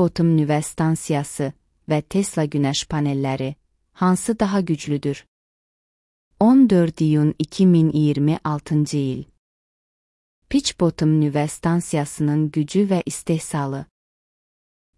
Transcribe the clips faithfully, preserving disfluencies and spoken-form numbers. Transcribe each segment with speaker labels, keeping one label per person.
Speaker 1: Pitch-Bottom nüvə stansiyası və Tesla günəş panelləri hansı daha güclüdür? on dörd iyun iki min iyirmi altıncı il. Pitch-Bottom nüvə stansiyasının gücü və istehsalı.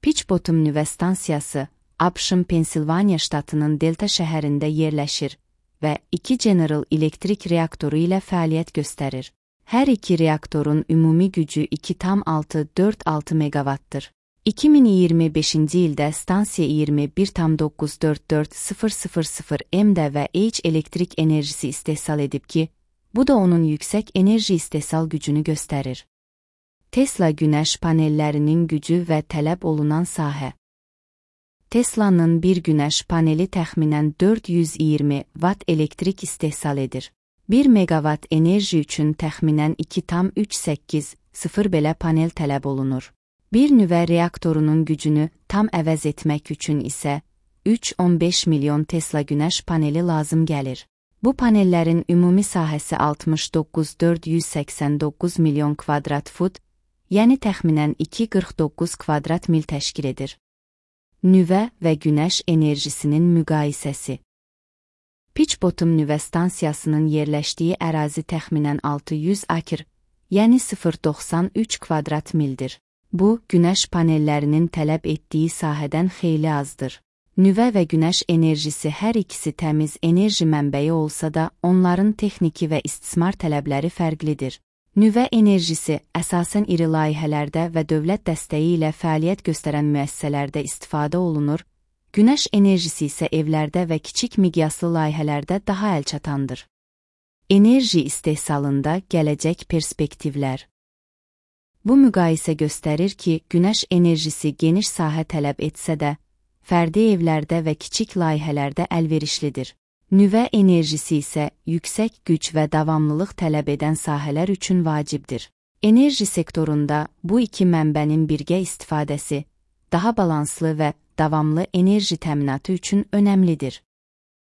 Speaker 1: Pitch-Bottom nüvə stansiyası ABŞ-ın Pensilvaniya ştatının Delta şəhərində yerləşir və iki General Electric reaktoru ilə fəaliyyət göstərir. Hər iki reaktorun ümumi gücü iki tam altı dörd altı meqavatdır. iki min iyirmi beşinci ildə stansiya iyirmi bir tam doqquz dörd dörd sıfır sıfır sıfır M-də və H elektrik enerjisi istehsal edib ki, bu da onun yüksək enerji istehsal gücünü göstərir. Tesla günəş panellərinin gücü və tələb olunan sahə. Tesla'nın bir günəş paneli təxminən dörd yüz iyirmi watt elektrik istehsal edir. bir megawatt enerji üçün təxminən iki tam üç səkkiz sıfır belə panel tələb olunur. Bir nüvə reaktorunun gücünü tam əvəz etmək üçün isə üç on beş milyon Tesla günəş paneli lazım gəlir. Bu panellərin ümumi sahəsi altmış doqquz min dörd yüz səksən doqquz milyon kvadrat fut, yəni təxminən iki qırx doqquz kvadrat mil təşkil edir. Nüvə və günəş enerjisinin müqayisəsi. Pitch-Bottom nüvə stansiyasının yerləşdiyi ərazi təxminən altı yüz akr, yəni sıfır tam doxsan üç kvadrat mildir. Bu, günəş panellərinin tələb etdiyi sahədən xeyli azdır. Nüvə və günəş enerjisi hər ikisi təmiz enerji mənbəyi olsa da, onların texniki və istismar tələbləri fərqlidir. Nüvə enerjisi əsasən iri layihələrdə və dövlət dəstəyi ilə fəaliyyət göstərən müəssisələrdə istifadə olunur, günəş enerjisi isə evlərdə və kiçik miqyaslı layihələrdə daha əlçatandır. Enerji istehsalında gələcək perspektivlər. Bu müqayisə göstərir ki, günəş enerjisi geniş sahə tələb etsə də, fərdi evlərdə və kiçik layihələrdə əlverişlidir. Nüvə enerjisi isə yüksək güc və davamlılıq tələb edən sahələr üçün vacibdir. Enerji sektorunda bu iki mənbənin birgə istifadəsi daha balanslı və davamlı enerji təminatı üçün önəmlidir.